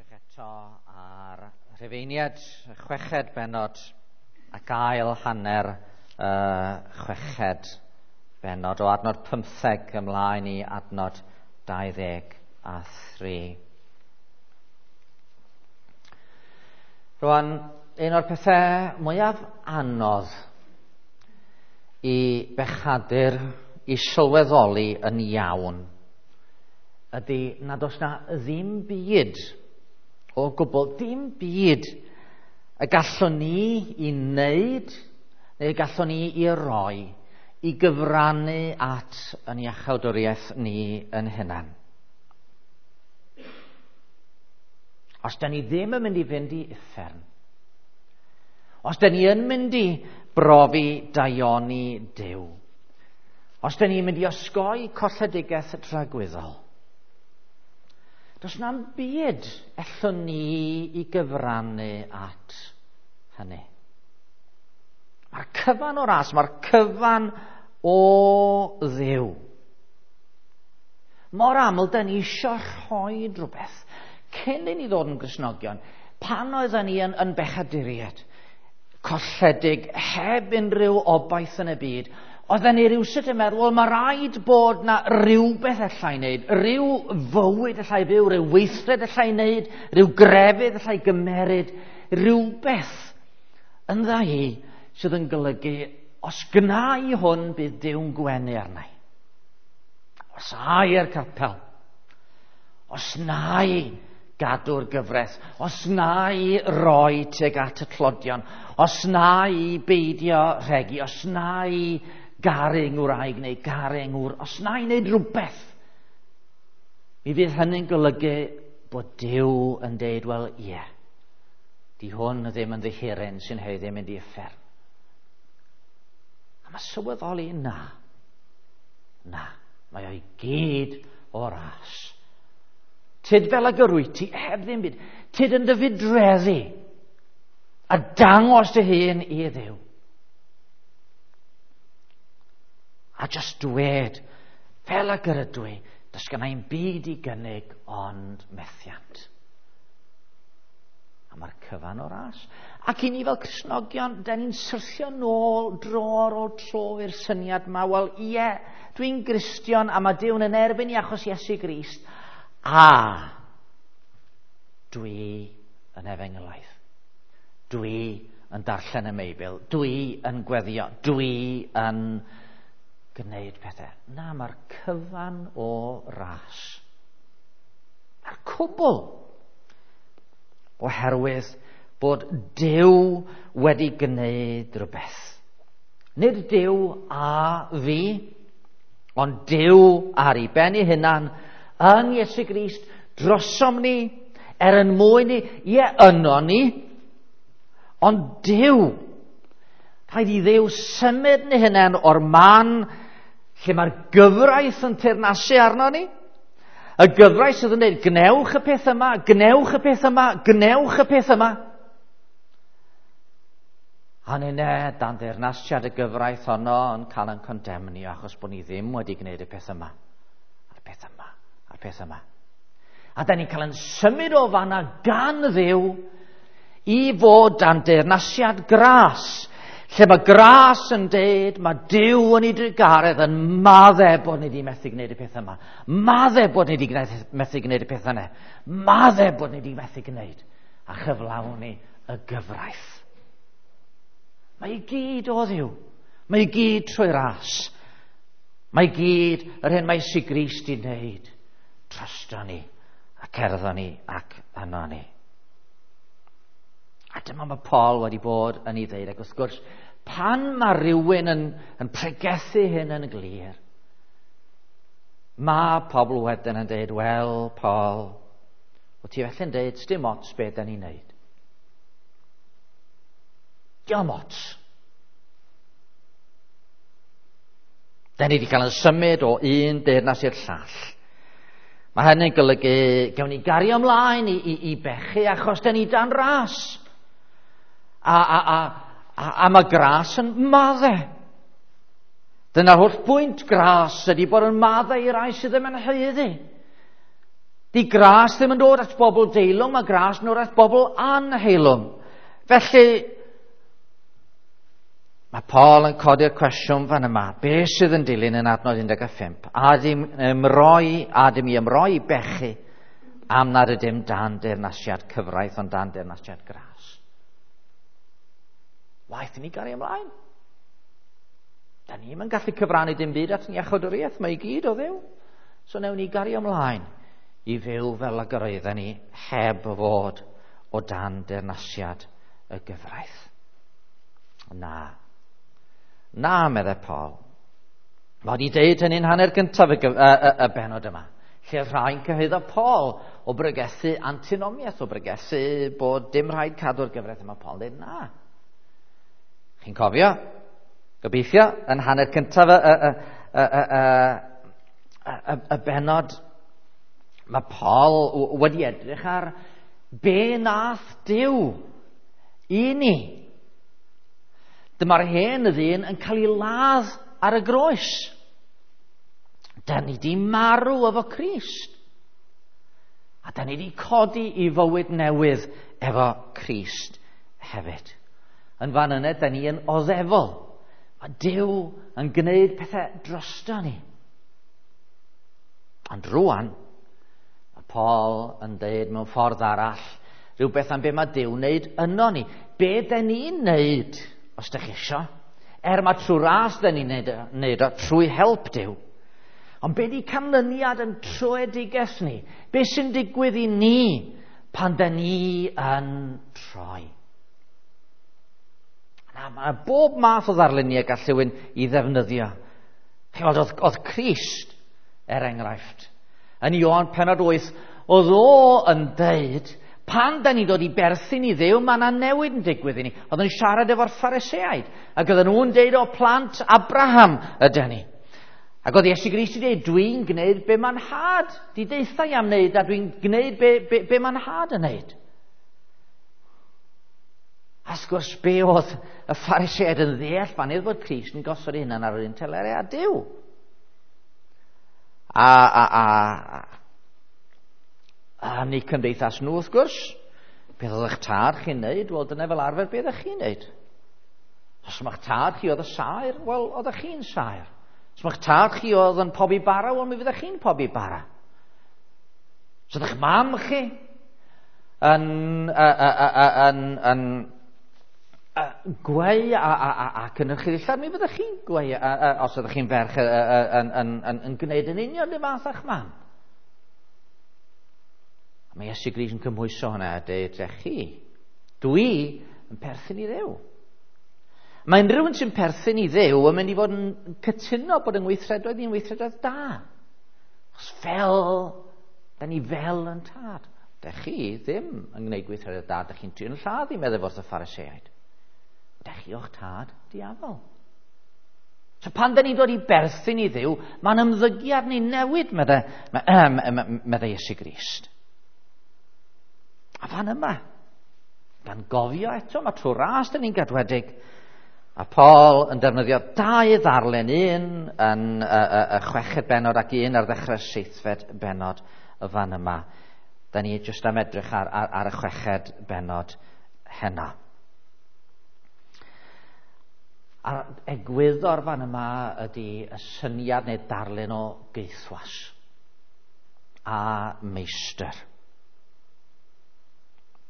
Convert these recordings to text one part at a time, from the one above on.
edrych eto ar Rhufeiniad, y chweched bennod ac ail hanner y chweched bennod o adnod 15 ymlaen i adnod 23. Rwan, un o'r pethau mwyaf anodd i bechadur i sylweddoli yn iawn ydy nad oes na ddim byd o gwbl, dim byd y gallwn ni i wneud neu y gallwn ni i roi i gyfrannu at yn iachawdwriaeth ni yn hunan. Os da ni ddim yn mynd i fynd i uffern, os da ni yn mynd i brofi daioni Duw, os da ni'n mynd i osgoi colledigaeth dragwyddol, does na'm byd ellwn ni i gyfrannu at hynny. Mae'r cyfan o ras, mae'r cyfan o Dduw. Mor aml, da ni eisiau rhoi rhywbeth cyn i ni ddod yn Gristnogion, pan oedden ni yn bechaduriaid, colledig, heb unrhyw obaith yn y byd, oedden ni rywsut yn meddwl, wel, mae rhaid bod na rhywbeth allai wneud, rhyw fywyd allai fyw, rhyw weithred allai wneud, rhyw grefydd allai gymeryd, rhywbeth yndda i sydd yn golygu, os gna i hwn, bydd Duw'n gwenu arna i. Os a i'r capel, os na i gadw'r gyfraith, os na i roi tuag at y tlodion, os na i beidio rhegi, os na i garu ngwraig neu garu ngŵr, os na i wneud rhywbeth, mi fydd hynny'n golygu bod Duw yn deud, wel, ie, di hwn ddim yn ddihiryn sy'n haeddu mynd i uffern. A mae sylweddoli, na, na, mae o'i gyd o ras. Tyd fel ag yr wyt ti, heb ddim byd. Tyd yn dy fudreddi a dangos dy hun i Dduw. A just dwed, fel ag yr ydw i, does gynna i'm byd i gynnig ond methiant. A mae'r cyfan o ras. Ac i ni fel Cristnogion, da ni'n syrthio nôl dro ar ôl tro i'r syniad yma, wel ie, dwi'n Gristion a mae Duw'n yn erbyn i achos Iesu Grist, a dwi yn efengylaidd. Dwi yn darllen y Meibl, dwi yn gweddio, dwi yn gwneud pethau. Na, mae'r cyfan o ras. Mae'r cwbl. Oherwydd bod Duw wedi gwneud rhywbeth. Nid Duw a fi, ond Duw ar ei ben ei hunan yn Iesu Grist drosom ni, er yn mwyn ni, ie, yno ni, ond Duw, rhaid i Dduw symud ni hunan o'r man lle mae'r gyfraith yn teyrnasu arno ni. Y gyfraith sydd yn dweud, gwnewch y peth yma, gwnewch y peth yma, gwnewch y peth yma. A ninne, dan deyrnasiad y gyfraith honno yn cael ein condemnio achos bod ni ddim wedi gwneud y peth yma, a'r peth yma, a'r peth yma. A da ni'n cael ein symud o fanna gan Dduw i fod dan deyrnasiad gras, lle mae gras yn deud, mae Duw yn ei drugaredd yn maddau bod ni wedi methu gwneud y peth yma, maddau bod ni wedi methu gwneud y peth yna, maddau bod ni wedi methu gwneud a chyflawni y gyfraith. Mae i gyd o Dduw, mae i gyd trwy ras, mae i gyd yr hyn mae Iesu Grist i wneud drosto ni a cerddo ni ac yno ni. A dyma mae Paul wedi bod yn ei ddeud, ac wrth gwrs, pan mae rhywun yn pregethu hyn yn glir, mae pobl wedyn yn deud, wel, Paul, wyt ti felly'n deud, sdim ots be da ni'n neud. Diolch ots. Da ni wedi cael yn symud o un deyrnas i'r llall. Mae hynny'n golygu gawn ni gario ymlaen i bechu achos da ni dan ras. A mae gras yn maddau. Dyna'r holl bwynt gras ydy bod yn maddau i rai sydd ddim yn haeddu. Di gras ddim yn dod at bobl deilwng, mae gras yn dod at bobl anheilwng. Felly, mae Paul yn codi'r cwestiwn fan yma. Be sydd yn dilyn yn adnod 15? A dim ymroi, a dim i ymroi i bechu am nad ydym dan deyrnasiad cyfraith, ond dan deyrnasiad gras. Waeth i ni gario ymlaen. Da ni'm yn gallu cyfrannu dim byd at iachawdwriaeth, mae i gyd o Dduw. So newn ni gario ymlaen i fyw fel ag yr oedden ni heb fod o dan deyrnasiad y gyfraith. Na. Na, meddai Paul. Mae wedi deud hynny'n hanner gyntaf y benod yma. Lle oedd rhai'n cyhuddo Paul o bregethu antinomiaeth, o bregethu bod dim rhaid cadw'r gyfraith yma. Paul yn dweud na. Chi'n cofio? Gobeithio, yn hanner cyntaf y benod, mae Paul wedi edrych ar be nath Duw i ni. Dyma'r hen ddyn yn cael ei ladd ar y groes. Da ni di marw efo Crist. A da ni di codi i fywyd newydd efo Crist hefyd. Yn fan yna, da ni yn oddefol. Mae Duw yn gwneud pethau drosto ni. Ond rwan, mae Paul yn dweud mewn ffordd arall rhywbeth am be mae Duw wneud yno ni. Be da ni'n wneud, os da chi isio? Er mae trwy ras da ni'n wneud o, trwy help Duw. Ond be di canlyniad yn troedigaeth ni? Be sy'n digwydd i ni pan da ni yn troi? Na, mae bob math o ddarluniau gall rhywun i ddefnyddio. Chi'n gweld, oedd Crist, er enghraifft, yn Ioan penod 8, oedd o yn deud, pan da ni'n dod i berthyn i Dduw, mae yna newid yn digwydd i ni. Oedd yn siarad efo'r Phariseaid, ac oedden nhw'n deud o plant Abraham ydyn ni. Ac oedd Iesu Grist wedi dweud, dwi'n gwneud be mae'n nhad di deutha i am wneud, a dwi'n gwneud be mae'n nhad yn wneud. A wrth gwrs, be oedd y Phariseaid yn ddeall fan hyn bod Crist yn gosod ei hunan ar yr un telerau â Duw. A ni cymdeithas nhw, wrth gwrs, beth oedd eich tad chi'n neud? Wel, dyna fel arfer beth ydych chi'n neud. Os mae'ch tad chi oedd y saer, wel, oeddech chi'n saer. Os mae'ch tad chi oedd yn pobi bara, wel, mi fyddech chi'n pobi bara. Os oedd eich mam chi yn gweu a cynnyrchu ddillad, mi fyddech chi'n gweu, os ydych chi'n ferch yn gwneud yn union y fath â'ch mam. A mae Iesu Grist yn cymhwyso hwnna a dweud, chi, dwi yn perthyn i Dduw. Mae unrhyw un sy'n perthyn i Dduw yn mynd i fod yn cytuno bod yng ngweithredoedd i'n weithredoedd da. Os fel, da ni fel yn tad. Da chi ddim yn gwneud gweithredoedd da, da chi'n trin lladd i meddwl wrth y Phariseaid. Da chi o'ch tad diafol. So pan da ni'n dod i berthyn i Dduw, mae'n ymddygiad ni'n newid, meddai Iesu Grist. A fan yma, gan gofio eto, mae trwy ras da ni'n gadwedig. A Paul yn defnyddio dau ddarlun, un yn y chweched benod ac un ar ddechrau seithfed benod y fan yma. Da ni jyst am edrych ar y chweched benod heno. A'r egwyddor fan yma ydy y syniad neu darlun o geithwas a meistr.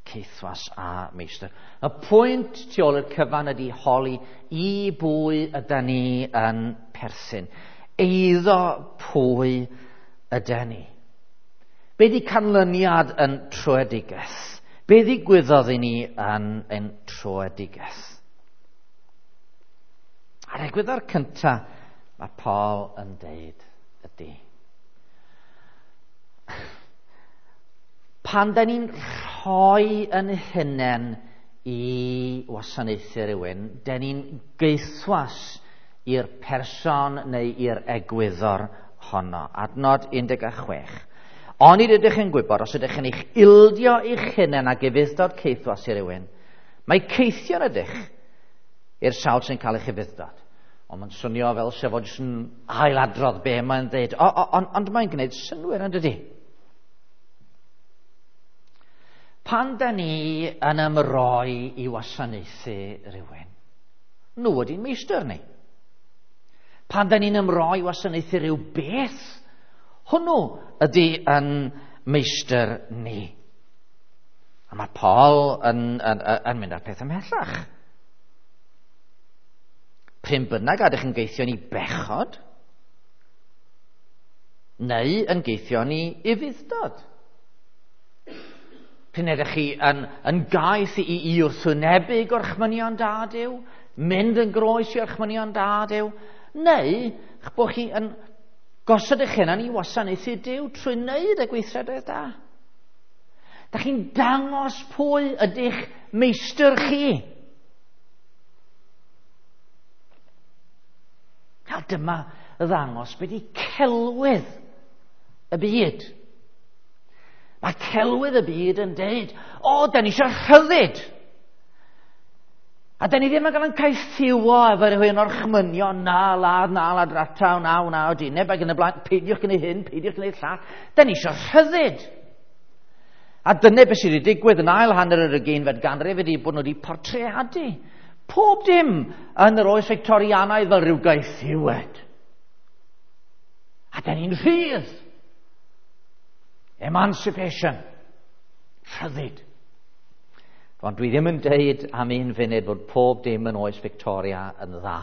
Ceithwas a meistr. Y pwynt tu ôl i'r cyfan ydy holi i bwy yda ni yn perthyn. Eiddo pwy yda ni. Be di canlyniad yn troedigaeth? Be ddigwyddodd i ni yn troedigaeth? A'r egwyddor cyntaf mae Paul yn deud ydy, pan da ni'n rhoi yn hunain i wasanaethu rhywun, da ni'n geithwas i'r person neu i'r egwyddor honno. Adnod 16. Onid ydych yn gwybod, os ydych yn eich ildio eich hunain ag ufudd-dod caethwas i rywun, mae caethion ydych i'r sawl sy'n cael eich ufudd-dod. Ond mae'n swnio fel sef o jyst yn ailadrodd be mae'n dweud. Ond mae'n gwneud synnwyr, yn dydi? Pan da ni yn ymroi i wasanaethu rhywun, nhw ydy'n meistr ni. Pan da ni'n ymroi i wasanaethu rhyw beth, hwnnw ydy yn meistr ni. A mae Paul yn mynd â'r peth ymhellach. Pryn bynnag a ydych yn geithio ni bechod, neu yn geithio ni ufudd-dod. Pryn ydych chi yn gaeth i wrthwynebu gorchmynion da Duw, mynd yn groes i orchmynion da Duw, neu eich bod chi yn gosod eich hunan i wasanaethu Duw trwy wneud y gweithredoedd da. Da chi'n dangos pwy ydych meistr chi. A dyma ddangos beth ydi celwydd y byd. Mae celwydd y byd yn deud, o, da ni eisiau rhyddid. A da ni ddim yn cael ein caethiwo efo rhywun orchmynion, na ladd, na ladrata, na wna o dineb, ac yn y blaen, peidiwch gwneud hyn, peidiwch gwneud llall. Da ni eisiau rhyddid. A dyna beth sydd wedi digwydd yn ail hanner yr ugeinfed ganrif ydy bod nhw wedi portreadu pob dim yn yr oes Victorianaidd fel rhyw gaethiwed. A da ni'n rhydd. Emancipation. Rhyddid. Ond dwi ddim yn deud am un funud fod pob dim yn oes Victoria yn dda.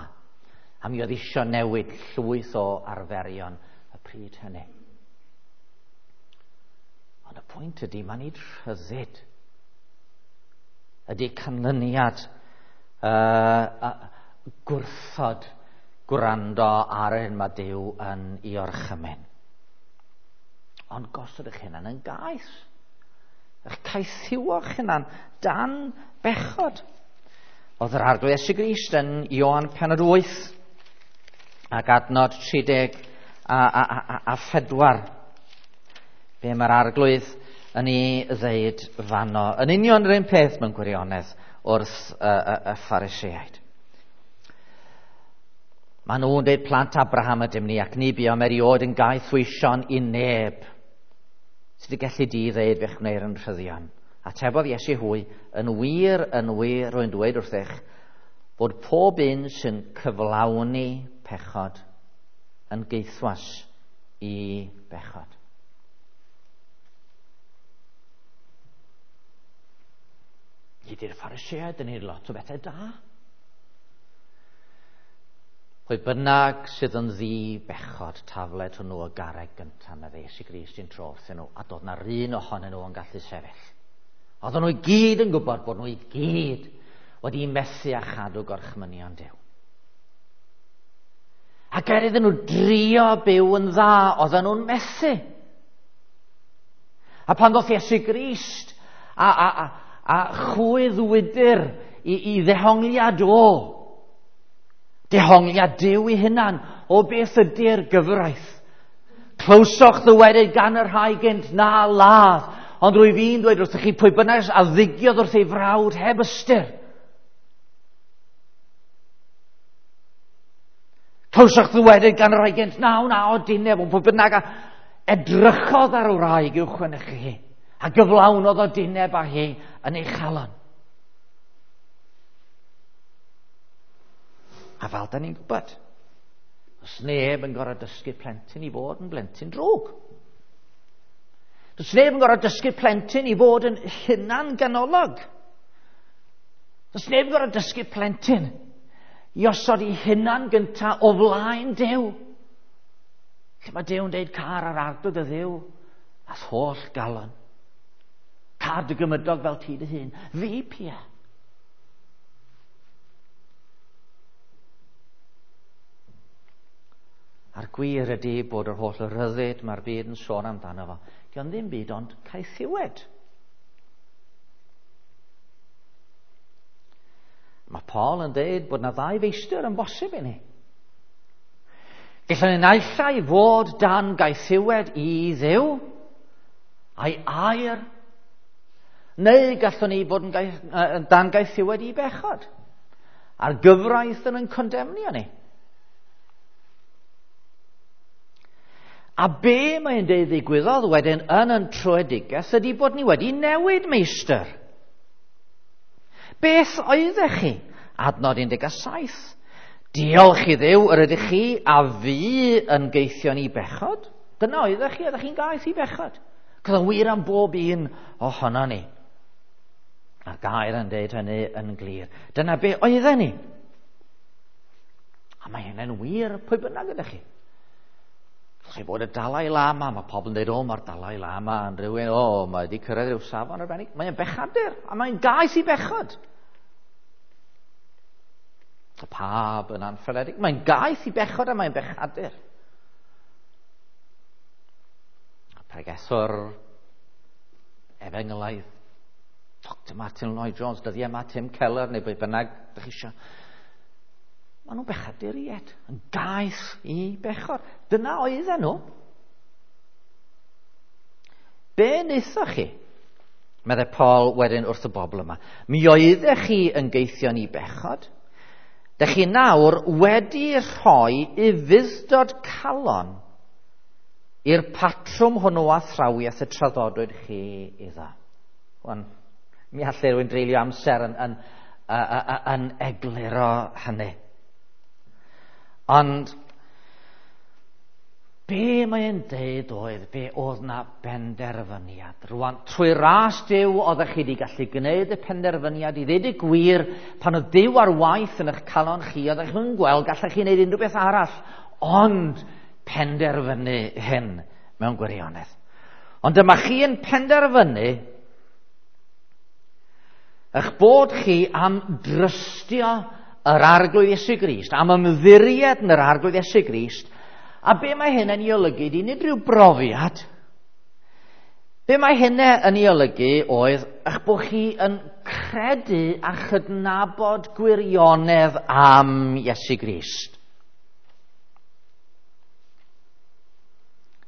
A mi oedd isio newid llwyth o arferion y pryd hynny. Ond y pwynt ydy, mae nid rhyddid ydy canlyniad gwrthod gwrando ar yr hyn mae Duw yn ei orchymyn. Ond gosod eich hunan yn gaeth. Eich caethiwo'ch hunan dan bechod. Oedd yr Arglwydd Iesu Grist yn Ioan pennod 8 ac adnod 34. Be mae'r Arglwydd yn ei ddeud fanno. Yn union yr un peth mewn gwirionedd wrth y Phariseaid. Maen nhw'n dweud plant Abraham ydym ni ac ni buom erioed yn gaethweision i neb. Sut y gelli di ddeud fe'ch gwneir yn rhyddion? Atebodd Iesu hwy, yn wir, rwy'n dweud wrthych, bod pob un sy'n cyflawni pechod yn gaethwas i bechod. Ydy'r Phariseaid yn ei lot o bethau da. Pwy bynnag sydd yn ddi bechod, tafled hwnnw y garreg gyntaf, medde Iesu Grist i'n tro wrthyn nhw, a doedd na'r un ohonyn nhw yn gallu sefyll. Oedden nhw i gyd yn gwybod bod nhw i gyd wedi methu a chadw gorchmynion Duw. Ac er iddyn nhw drio byw yn dda, oedden nhw'n methu. A pan ddoth Iesu Grist a chwyddwydr i ddehongliad o, dehongliad Duw ei hunan o beth ydy'r gyfraith. Clywsoch ddywedyd gan y rhai gynt na ladd, ond rwyf fi'n dweud wrthych chi pwy bynnag a ddigiodd wrth ei frawd heb ystyr. Clywsoch ddywedyd gan y rhai gynt na wna o dineb, ond pwy bynnag a edrychodd ar wraig i'w chwenychu hi, a gyflawnodd o dineb â hi yn ei chalon. A fel da ni'n gwybod, does neb yn gorfod dysgu plentyn i fod yn blentyn drwg. Does neb yn gorfod dysgu plentyn i fod yn hunan ganolog. Does neb yn gorfod dysgu plentyn i osod ei hunan gynta o flaen Duw. Lle mae Duw yn deud car ar Arglwydd y Dduw a'th holl galon. Car dy gymydog fel ti dy hun. Fi pia. A'r gwir ydy bod yr holl ryddid mae'r byd yn sôn amdano fo. Dio'n ddim byd ond caethiwed. Mae Paul yn deud bod na ddau feistr yn bosib i ni. Gallwn ni naill ai fod dan gaethiwed i Dduw a'i air, neu gallwn ni fod yn dan gaethiwed i bechod. A'r gyfraith yn condemnio ni. A be mae'n deud ddigwyddodd wedyn yn yn troedigaeth ydy bod ni wedi newid meistr. Beth oeddech chi? Adnod 17. Diolch i Dduw yr ydych chi a fi yn geithion i bechod. Dyna oeddech chi, oeddech chi'n gaeth i bechod. Cos yn wir am bob un ohono ni. A'r gair yn deud hynny yn glir. Dyna be oedden ni. A mae hynny'n wir pwy bynnag ydych chi. Chi bod y Dalai Lama, mae pobl yn dweud, o, mae'r Dalai Lama yn rhywun, o, mae wedi cyrraedd rhyw safon arbennig. Mae'n bechadur, a mae'n gaeth i bechod. Y pab yn anffyredig. Mae'n gaeth i bechod a mae'n bechadur. Y pregethwr efengylaidd, Dr Martin Lloyd Jones, dyddiau yma Tim Keller neu beth bynnag ydych chi eisiau. Maen nhw'n bechaduriaid, yn gaeth i bechod. Dyna oedden nhw. Be wnaethoch chi? Meddai Paul wedyn wrth y bobl yma. Mi oeddech chi yn geithion i bechod. Dych chi nawr wedi rhoi ufudd-dod calon i'r patrwm hwnnw athrawiaeth y traddodwyd chi iddo. Wan, mi allai rhywun dreulio amser yn, yn, yn, yn egluro hynny. Ond be mae'n deud oedd, be oedd na benderfyniad. Rwan, trwy ras Duw oeddech chi wedi gallu gwneud y penderfyniad i ddeud y gwir, pan oedd Duw ar waith yn eich calon chi, oeddech chi'n gweld gallech chi wneud unrhyw beth arall, ond penderfynu hyn mewn gwirionedd. Ond dyma chi yn penderfynu eich bod chi am drystio yr Arglwydd Iesu Grist, am ymddiried yn yr Arglwydd Iesu Grist, a be mae hyn yn ei olygu, di nid rhyw brofiad. Be mae hyn yn ei olygu oedd eich bod chi yn credu a chydnabod gwirionedd am Iesu Grist.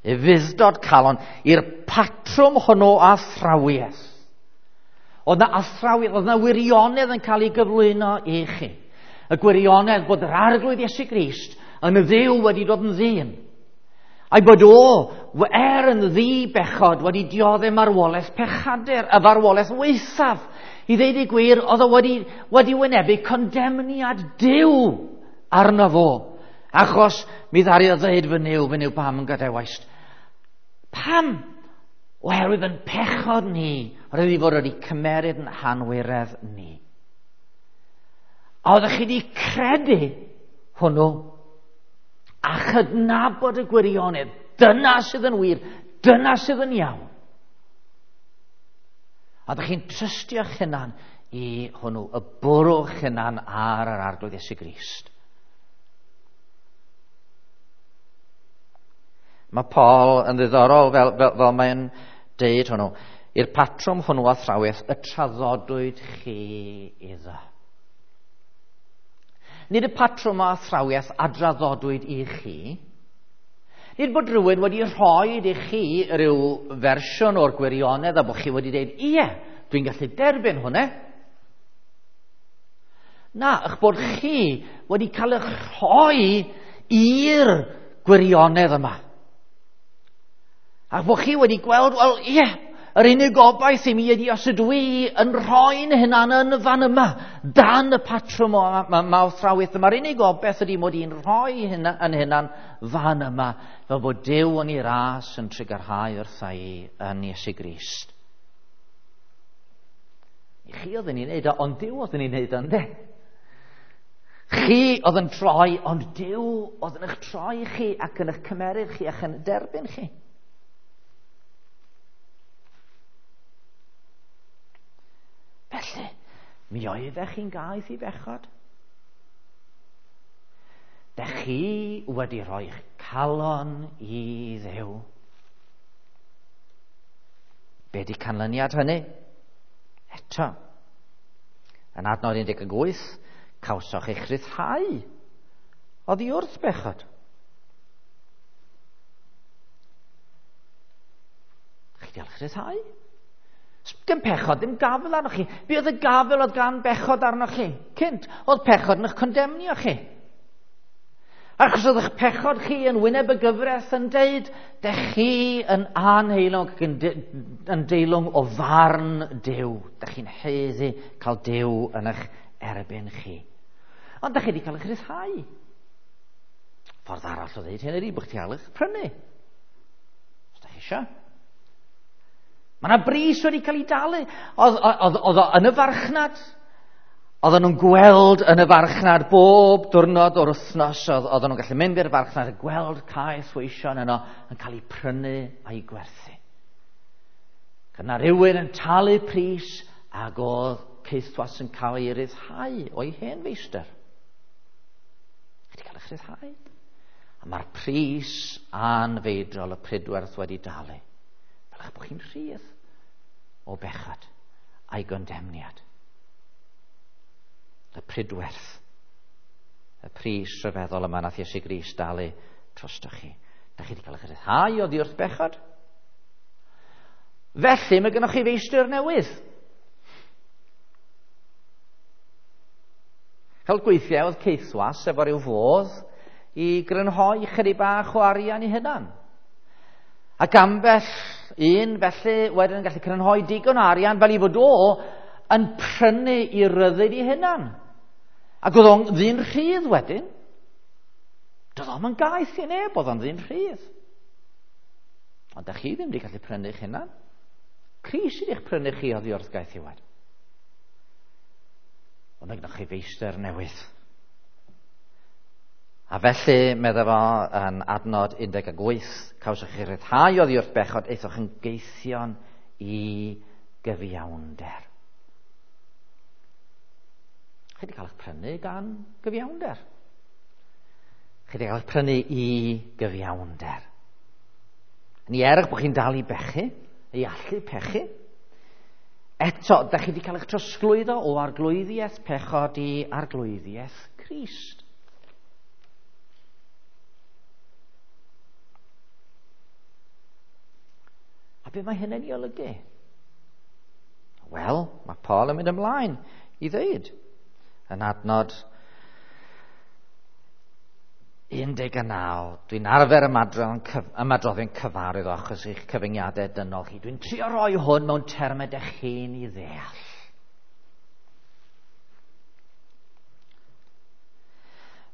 Ufudd-dod calon i'r patrwm hwnnw o athrawiaeth. Oedd na athrawiaeth, oedd na wirionedd yn cael ei gyflwyno i chi. Y gwirionedd bod yr Arglwydd Iesu Grist yn y Dduw wedi dod yn ddyn. A'i bod o, er yn ddi bechod, wedi dioddef marwolaeth pechadur, y farwolaeth waethaf. I ddeud y gwir, oedd o wedi, wedi wynebu condemniad Duw arno fo. Achos mi ddaru o ddeud fy Nuw, fy Nuw pam yn gadawaist. Pam? Oherwydd yn pechod ni, roedd i fod wedi cymeryd yn hanwiredd ni. A oeddech chi wedi credu hwnnw a chydnabod y gwirionedd. Dyna sydd yn wir, dyna sydd yn iawn. A ydych chi'n trystio'ch hunan i hwnnw, y bwrw'ch hunan ar yr Arglwydd Iesu Grist. Mae Paul yn ddiddorol fel, fel, fel mae'n deud hwnnw. I'r patrwm hwnnw athrawiaeth y traddodwyd chi iddo. Nid y patrwm o athrawiaeth a draddodwyd i chi. Nid bod rhywun wedi rhoi i chi rhyw fersiwn o'r gwirionedd a bod chi wedi dweud, ie, dwi'n gallu derbyn hwnna. Na, eich bod chi wedi cael eich rhoi i'r gwirionedd yma. A bod chi wedi gweld, wel, ie, yr unig obaith i mi ydy os ydw i yn rhoi'n hunan yn y fan yma, dan y patrwm o ma, athrawiaeth yma. Yr unig obaith ydy mod i'n rhoi hynna, yn hunan fan yma, fel bod Duw yn ei ras yn trugarhau wrtha i yn Iesu Grist. I chi oedd yn ei wneud o, ond Duw oedd yn ei wneud o, ynddo? Chi oedd yn troi, ond Duw oedd yn eich troi chi ac yn eich cymeryd chi ac yn derbyn chi. Felly, mi oeddech chi'n gaeth i bechod. Dech chi wedi rhoi'ch calon i Dduw. Be di canlyniad hynny? Eto, yn adnod 18, cawsoch eich rhyddhau oddi wrth bechod. Chi wedi cael eich rhyddhau? Dim pechod, ddim gafel arnoch chi. Be oedd y gafel oedd gan bechod arnoch chi? Cynt, oedd pechod yn eich condemnio chi. Achos oedd eich pechod chi yn wyneb y gyfraith yn deud, dech chi yn anheilwng ac yn deilwng o farn Duw. Dech chi'n haeddu cael Duw yn eich erbyn chi. Ond dech chi wedi cael eich rhyddhau. Ffordd arall o ddeud hyn ydy bod chi cael eich prynu. Os dech chi eisiau. Mae yna bris wedi cael ei dalu. Oedd o yn y farchnad. Oedden nhw'n gweld yn y farchnad bob diwrnod o'r wythnos. Oedden nhw'n gallu mynd i'r farchnad a gweld caeth weision yno yn cael eu prynu a'i gwerthu. Cyna rhywun yn talu pris ac oedd caethwas yn cael ei ryddhau o'i hen feistr. Chi wedi cael eich rhyddhau. A mae'r pris anfeidrol y pridwerth wedi dalu. Fel eich bod chi'n rhydd o bechod a'i gondemniad. Y pridwerth. Y pris rhyfeddol yma nath Iesu Grist dalu drostoch chi. Da chi wedi cael eich rhyddhau oddi wrth bechod. Felly mae gennych chi feistr newydd. Cael gweithiau oedd caethwas efo rhyw fodd i grynhoi chydig bach o arian i hunan. Ac ambell un felly wedyn yn gallu crynhoi digon o arian fel i fod o yn prynu i ryddid i hunan. Ac oedd o'n ddyn rhydd wedyn. Doedd o'm yn gaeth i neb, oedd o'n ddyn rhydd. Ond da chi ddim wedi gallu prynu eich hunan. Crist sydd eich prynu chi oddi wrth gaethiwed. Ond mae gennych chi feistr newydd. A felly, medda fo yn adnod 18, cawsoch chi ryddhau oddi wrth bechod, aethoch yn geithion i gyfiawnder. Chi wedi cael eich prynu gan gyfiawnder. Chi wedi cael eich prynu i gyfiawnder. Ni er eich bod chi'n dal i bechu, i allu pechu, eto, da chi wedi cael eich trosglwyddo o arglwyddiaeth pechod i arglwyddiaeth Crist. A be mae hynny'n ei olygu? Wel, mae Paul yn mynd ymlaen i ddweud yn adnod 19, dwi'n arfer ymadroddion cyfarwydd o achos eich cyfyngiadau dynol chi. Dwi'n trio roi hwn mewn termau dych chi'n ei ddeall.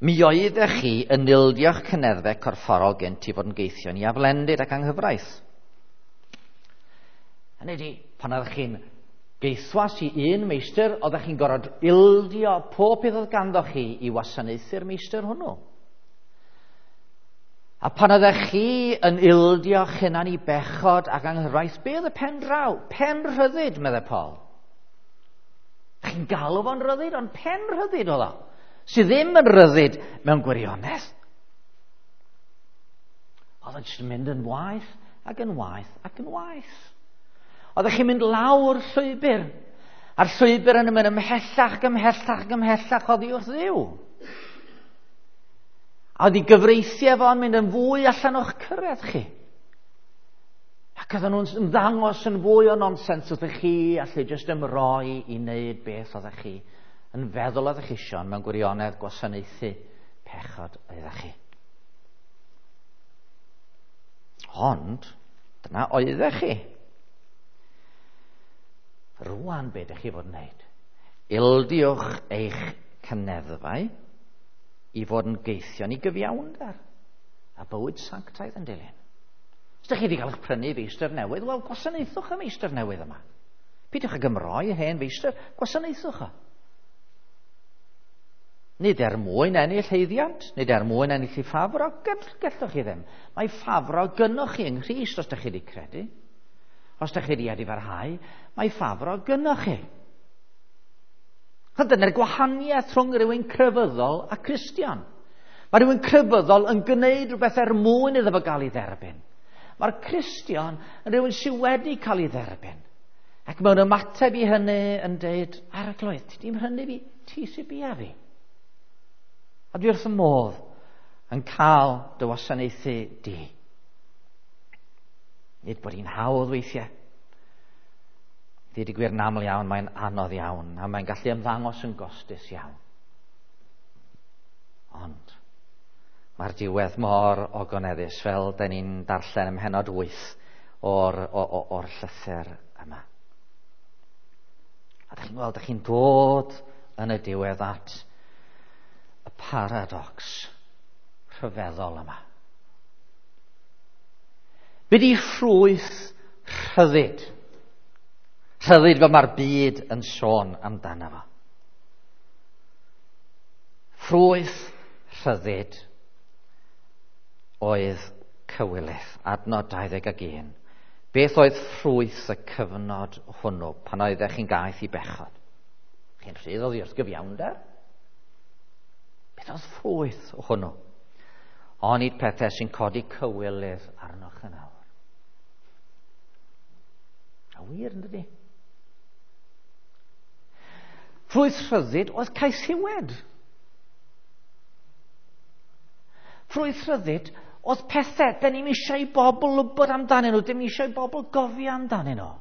Mi oeddech chi yn ildio'ch cyneddfau corfforol gynt i fod yn geithion i aflendid ac anghyfraith. Hynny ydi, pan oeddech chi'n geithwas i un meistr, oeddech chi'n gorfod ildio pob peth oedd ganddo chi i wasanaethu'r meistr hwnnw. A pan oeddech chi yn ildio'ch hunan i bechod ac anghyfraith, be oedd y pen draw? Pen rhyddid, meddai Paul. Chi'n galw fo'n rhyddid, ond pen rhyddid oedd o, sydd ddim yn rhyddid mewn gwirionedd. Oedd o'n jyst yn mynd yn waeth ac yn waeth ac yn waeth. Oeddech chi'n mynd lawr llwybr, a'r llwybr yn mynd ymhellach ac ymhellach ac ymhellach oddi wrth Dduw. A oedd ei gyfreithiau fo'n mynd yn fwy allan o'ch cyrraedd chi. Ac oedden nhw'n ymddangos yn fwy o nonsens wrthych chi allu jyst ymroi i wneud beth oeddech chi yn feddwl oeddech chi isio, mewn gwirionedd gwasanaethu pechod oeddech chi. Ond, dyna oeddech chi. Rwan be ydych chi fod yn wneud? Ildiwch eich cyneddfau i fod yn geithion i gyfiawnder a bywyd sanctaidd yn dilyn. Os ydych chi wedi cael eich prynu feistr newydd, wel, gwasanaethwch y meistr newydd yma. Peidiwch ag ymroi hen feistr, gwasanaethwch o. Nid er mwyn ennill haeddiant, nid er mwyn ennill ei ffafr, o, gallwch chi ddim. Mae ffafr o gynnoch chi yng Nghrist os ydych chi wedi credu. Os ydych chi wedi edifarhau, mae ffafr o gynnoch chi. A dyna'r gwahaniaeth rhwng rhywun crefyddol a Cristion. Mae rhywun crefyddol yn gwneud rhywbeth er mwyn iddo fo gael ei dderbyn. Mae'r Cristion yn rhywun sydd wedi cael ei dderbyn. Ac mewn ymateb i hynny yn deud, Arglwydd, ti di'n mhrynu fi, ti sy'n bia fi. A dwi wrth y modd yn cael dy wasanaethu di. Nid bod hi'n hawdd weithiau. Dweud y gwir yn aml iawn, mae'n anodd iawn, a mae'n gallu ymddangos yn gostus iawn. Ond, Mae'r diwedd mor ogoneddus fel da ni'n darllen ym mhennod 8 o'r, or llythyr yma. A da chi'n gweld, da chi'n dod yn y diwedd at y paradox rhyfeddol yma. Be di ffrwyth rhyddid? Rhyddid fel mae'r byd yn sôn amdano fo. Ffrwyth rhyddid oedd cywilydd, adnod 21. Beth oedd ffrwyth y cyfnod hwnnw pan oeddech chi'n gaeth i bechod? Chi'n rhydd oddi wrth gyfiawnder? Beth oedd ffrwyth hwnnw? Onid pethau sy'n codi cywilydd arnoch yn awr. A wir, yn dydi? Ffrwyth rhyddid oedd caethiwed. Ffrwyth rhyddid oedd pethau, da ni'n eisiau i bobl wybod amdanyn nhw, dim eisiau i bobl gofio amdanyn nhw.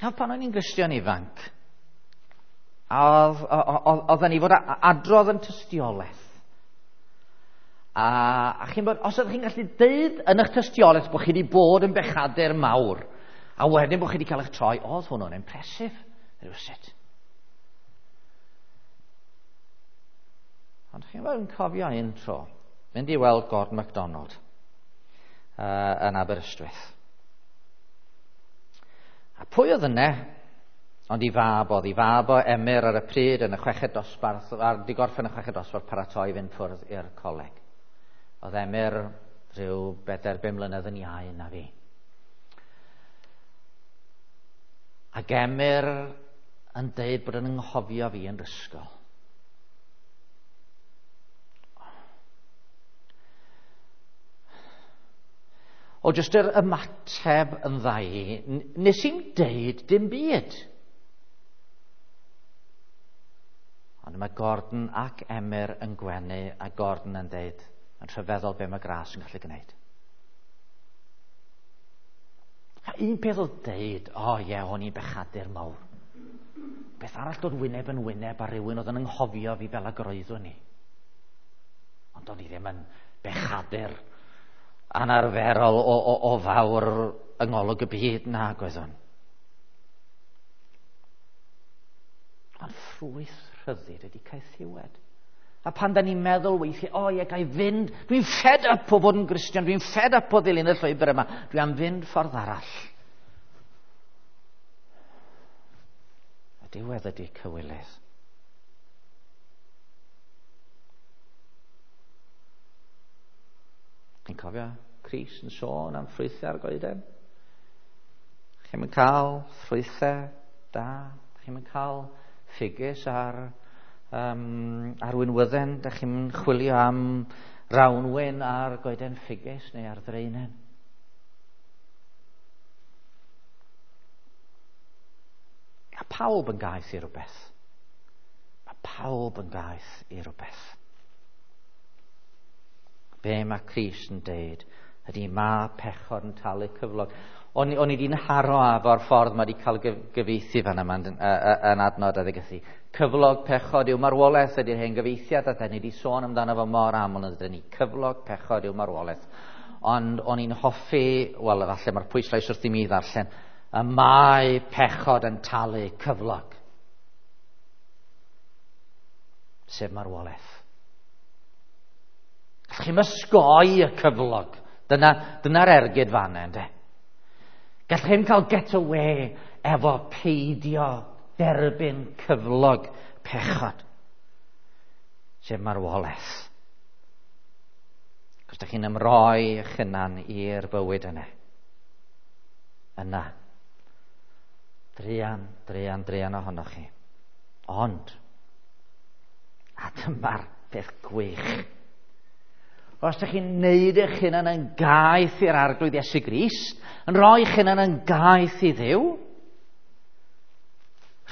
A pan o'n i'n Gristion ifanc, oedden ni fod adrodd yn tystiolaeth. A, a chi'n bod, os ydych chi'n gallu deud yn eich tystiolaeth bod chi wedi bod yn bechadur mawr, a wedyn bod chi wedi cael eich troi, oedd hwnnw'n impresif, rhywsut. Ond chi'n bod yn cofio un tro, mynd i weld Gordon MacDonald yn Aberystwyth. A pwy oedd yna? Ond i fab oedd, i fab o Emyr ar y pryd yn y chweched dosbarth, ar di gorffen y chweched dosbarth paratoi fynd ffwrdd i'r coleg. Oedd Emyr rhyw 4-5 mlynedd yn iau na fi. Ac Emyr yn deud bod yn ynghofio fi yn ysgol. O jyst yr ymateb yn ddau, nes i'n deud dim byd. Ond mae Gordon ac Emyr yn gwenu a Gordon yn deud, yn rhyfeddol be mae gras yn gallu gwneud. A un peth oedd deud, o oh, ie, o'n i'n bechadur mawr. Beth arall dod wyneb yn wyneb â rhywun oedd yn anghofio fi fel ag roeddwn i. Ond o'n i ddim yn bechadur anarferol o, o, o fawr yng ngolwg y byd nag oeddwn. Ond ffrwyth rhyddid ydy caethiwed. A pan da ni'n meddwl weithiau, o ie, ga i fynd, dwi'n fed up o fod yn Gristion, dwi'n fed up o ddilyn y llwybr yma, dwi am fynd ffordd arall. Y diwedd ydy cywilydd. Chi'n cofio Cris yn sôn am ffrwythau ar goeden? Chi'n mynd cael ffrwythau da? Chi'n mynd cael ffigys ar, um, ar winwydden? Da chi'n mynd chwilio am rawnwyn ar goeden ffigys neu ar ddraenen? A pawb yn gaeth i rhywbeth. Mae pawb yn gaeth i rhywbeth. Be mae Crist yn deud ydy mae pechod yn talu cyflog. O'n, o'n i wedi'n haro efo'r ffordd mae wedi cael gyfieithu fan yma yn, yn adnod adegythu. Cyflog pechod yw marwolaeth ydy'r hen gyfieithiad a da ni wedi sôn amdano fo mor aml yn ydyn ni. Cyflog pechod yw marwolaeth. Ond o'n i'n hoffi, wel efallai mae'r pwyslais wrth i mi ddarllen, y mae pechod yn talu cyflog. Sef marwolaeth. Gallwch chi'm ysgoi y cyflog. Dyna, dyna'r ergyd fanna, ynddo. Gallwch chi'm cael get away efo peidio derbyn cyflog pechod. Sef marwolaeth. Cos da chi'n ymroi eich hunan i'r bywyd yna. Yna. Druan, druan, druan ohonoch chi. Ond, a dyma'r peth gwych. Os ydych chi'n neud eich hunan yn gaeth i'r arglwydd Iesu Grist, yn rhoi eich hunan yn gaeth i Dduw,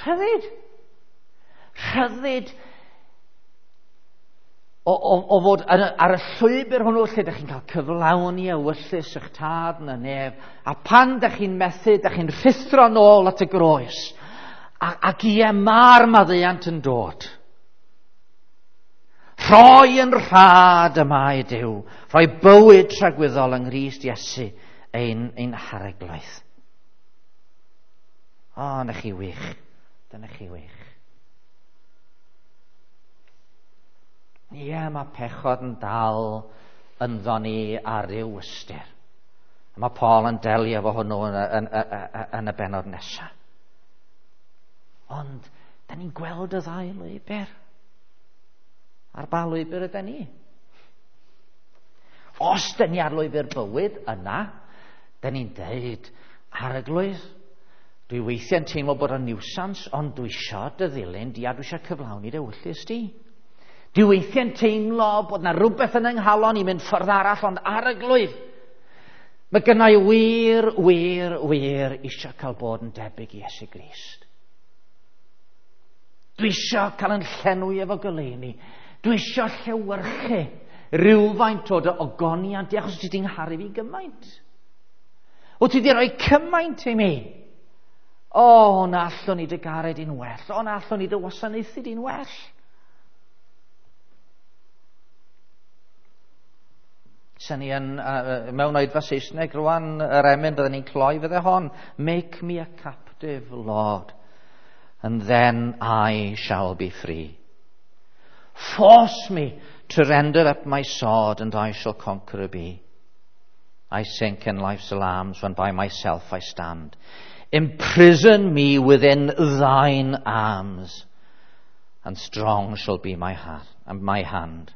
rhyddid. Rhyddid o, o, o fod ar, ar y llwybr hwnnw lle ydych chi'n cael cyflawni ewyllys eich tad yn y nef, a pan ydych chi'n methu, ydych chi'n rhuthro nôl at y groes, a, ac ie, mae'r maddeuant yn dod. Rhoi yn rhad y mae Duw. Rhoi bywyd tragwyddol yng Nghrist Iesu ein Harglwydd. O, na chi wych. Dyna chi wych. Ie, mae pechod yn dal ynddo ni ar ryw ystyr. A mae Paul yn delio efo hwnnw yn y bennod nesaf. Ond, da ni'n gweld y ddau lwybr. Ar ba lwybr ydy ni? Os da ni ar lwybr bywyd, yna, da ni'n deud, Arglwydd, dwi weithiau'n teimlo bod o'n niwsans, ond dwi isio dy ddilyn di a dwi isio cyflawni dy ewyllys di. Dwi weithiau'n teimlo bod na rhywbeth yn 'y nghalon i mynd ffordd arall, ond Arglwydd, mae gynna i wir, wir, wir eisiau cael bod yn debyg i Iesu Grist. Dwi eisiau cael yn llenwi efo goleuni. Dwi eisiau llewyrchu rhywfaint o dy ogoniant di, achos ti 'di ngharu fi gymaint. Wyt ti 'di rhoi cymaint i mi. O, na allwn ni dy garu di'n well. O, na allwn ni dy wasanaethu di'n well. Sen ni yn, mewn oedfa Saesneg rwan, yr emyn byddwn ni'n cloi fydde hon. Make me a captive, Lord, and then I shall be free. Force me to render up my sword, and I shall conqueror be. I sink in life's alarms when by myself I stand. Imprison me within thine arms, and strong shall be my heart and my hand.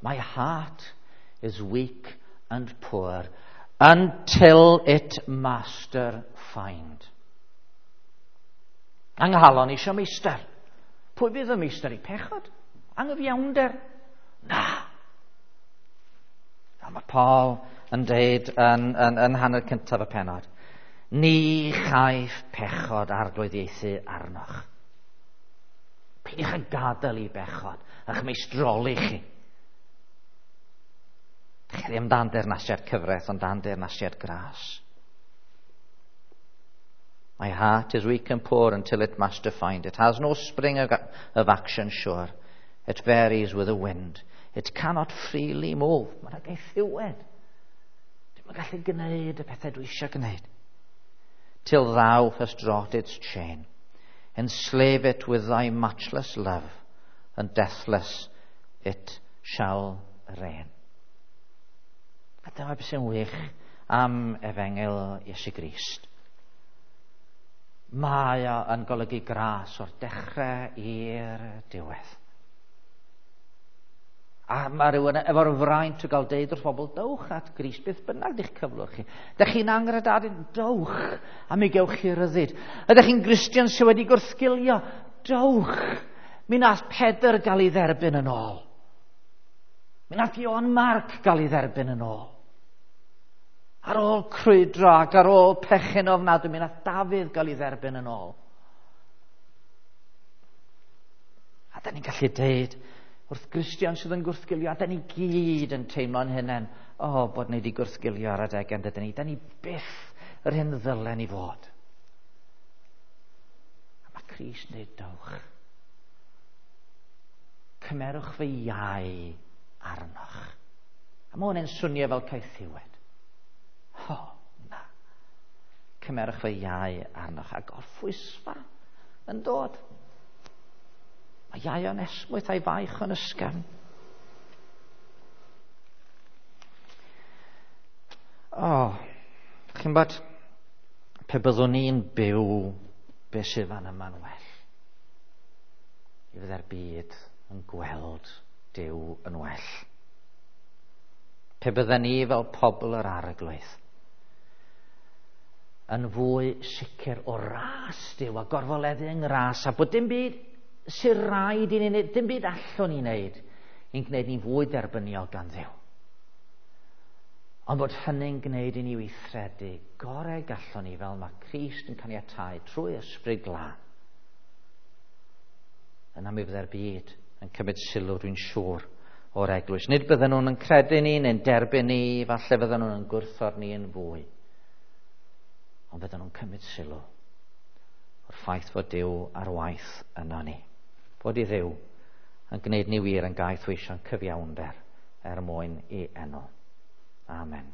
My heart is weak and poor until it master find. Anghalon eisiau meistr. Pwy fydd y meistr i pechod? Anghyfiawnder? Na. A mae Paul yn deud yn hanner cyntaf y pennod, ni chaiff pechod arglwyddiaethu arnoch. Peidiwch â gadael i bechod a'ch meistroli chi. Chi ddim dan deyrnasiad cyfraith, ond dan deyrnasiad gras. My heart is weak and poor until it master find. It has no spring of action sure. It varies with the wind. It cannot freely move. Mae'n gaethiwed. Dwi'm yn gallu gwneud y pethau dwi eisiau gwneud. Till thou hast wrought its chain. Enslave it with thy matchless love, and deathless it shall reign. A dyma beth sy'n wych am efengyl Iesu Grist. Mae o yn golygu gras o'r dechrau i'r diwedd. A mae rhywun efo'r fraint o gael deud wrth bobl, dowch at Grist, beth bynnag di'ch cyflwr chi. Dych chi'n angredadun, dowch, a mi gewch chi ryddid. Ydych chi'n Gristion sydd wedi gwrthgilio, dowch. Mi nath Pedr gael ei dderbyn yn ôl. Mi nath Ioan Marc gael ei dderbyn yn ôl. Ar ôl crwydro ac ar ôl pechu'n ofnadwy, mi nath Dafydd gael ei dderbyn yn ôl. A da ni'n gallu deud wrth Gristion sydd yn gwrthgilio, a da ni gyd yn teimlo'n hunain, o, bod ni wedi gwrthgilio ar adegau, dydyn ni, da ni byth yr hyn ddylen ni fod. A mae Crist yn dweud, dowch. Cymerwch fy iau arnoch. A mae hwn yn swnio fel caethiwed. O, na. Cymerwch fy iau arnoch. A gorffwysfa yn dod. Mae iau o'n esmwyth a'i faich o'n ysgafn. O, chi'n bod, pe byddwn ni'n byw be sydd fan yma'n well, i fydde'r byd yn gweld Duw yn well. Pe bydden ni fel pobl yr Arglwydd yn fwy sicr o ras Duw a gorfoleddu yng ngras a bod dim byd sy'n rhaid i ni wneud, dim byd allwn ni wneud i'n gwneud ni'n fwy derbyniol gan Dduw. Ond bod hynny'n gwneud i ni weithredu gorau gallwn ni fel mae Crist yn caniatáu trwy Ysbryd Glân. Yna mi fydde'r byd yn cymryd sylw, dwi'n siŵr, o'r eglwys. Nid bydden nhw'n yn credu ni neu'n derbyn ni, falle fydden nhw'n yn gwrthod ni yn fwy. Ond fydden nhw'n cymryd sylw o'r ffaith fod Duw ar waith yno ni. Fod i Dduw Yn gwneud ni wir yn gaeth weision cyfiawnder er mwyn i enw. Amen.